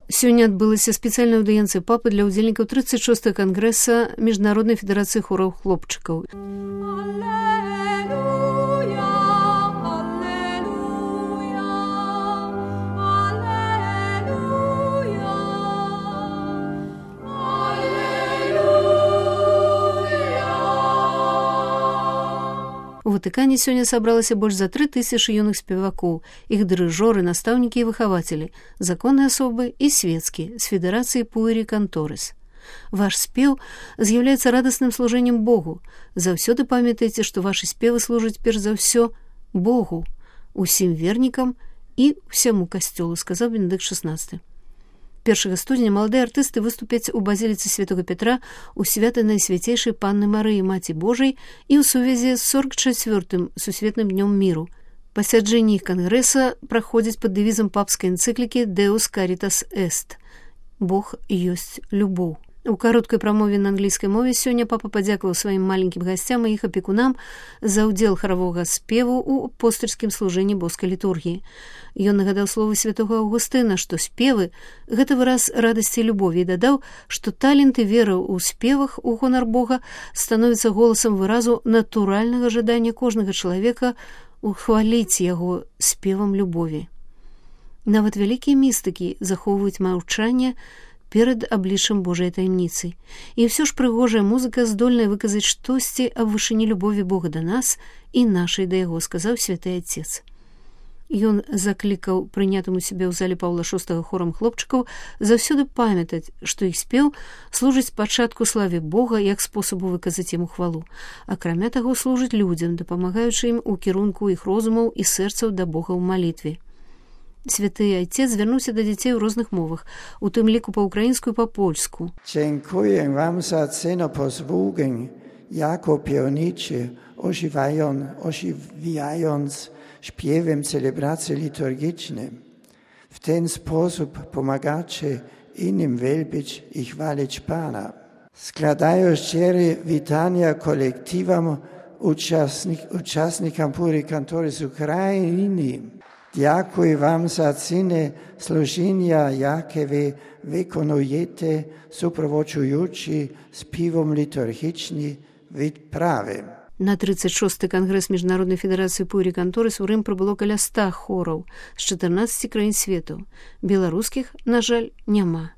Сёння адбылася спецыяльная аўдыенцыя папы для ўдзельнікаў 36-го кангрэса Міжнароднай федэрацыі хораў хлопчыкаў. У Ватыкане сёння сабралася больш за 3000 юных спевакоў, іх дырыжоры, настаўнікі і выхавацелі, законныя асобы і свецкія, з федэрацыі Пуэри Канторес. Ваш спеў з'яўляецца радасным служэннем Богу. Заўсёды памятайце, што вашы спевы служаць перш за ўсё Богу, усім вернікам і ўсяму касцёлу, сказаў Бенедыкт XVI. 1 студзеня маладыя артысты выступяць у базіліцы Святога Петра у свята Найсвяцейшай Панны Марыі, Маці Божай, і ў сувязі з 44-м Сусветным днём міру. Пасяджэнні іх кангрэса праходзяць пад дэвізам папскай энцыклікі «Deus Caritas Est» – «Бог ёсць любоў». У кароткай прамове на англійскай мове сёння папа падзякаваў сваім маленькім гасцям і іх апекунам за ўдзел харавога спеву ў апостальскім служэнні боскай літургіі. Ён нагадаў словы святога Аўгустына, што спевы – гэта выраз радасці і любові, і дадаў, што талент і вера ў спевах у гонар Бога становіцца голасам выразу натуральнага жадання кожнага чалавека ухваліць яго спевам любові. Нават вялікія містыкі захоўваюць маўчанне перад абліччам Божай таямніцы. І ўсё ж прыгожая музыка здольная выказаць штосьці аб вышыні любові Бога да нас і нашай да яго, сказаў святы Отец. Ён заклікаў прынятым у сябе ў зале Паўла VI хорам хлопчыкаў заўсёды памятаць, што іх спеў служыць спачатку славе Бога як спосабу выказаць яму хвалу. Акрамя таго, служыць людзям, дапамагаючы ім у кірунку іх розумаў і сэрцаў да Бога ў малітве. Святы Отец звярнуўся да дзяцей у розных мовах, у тым ліку па-ўкраінску і па-польску. Dziękuję wam za cenopozwugę, jako pionicie, ożywiając śpiewem celebracji liturgicznej. W ten sposób pomagacie innym wielbić i chwalić Pana. Składają szczere witania kolektywom uczestnikom Pueri Kantoris z Ukrainy. Dziękuję wam za cenę służenia, jakie wy wykonujecie, supроводжуючи співом liturgicznym відправи. На 36-й кангрэс Міжнароднай федэрацыі Пуэри Канторес у Рым прыбыло каля 100 хораў з 14 краін свету. Беларускіх, на жаль, няма.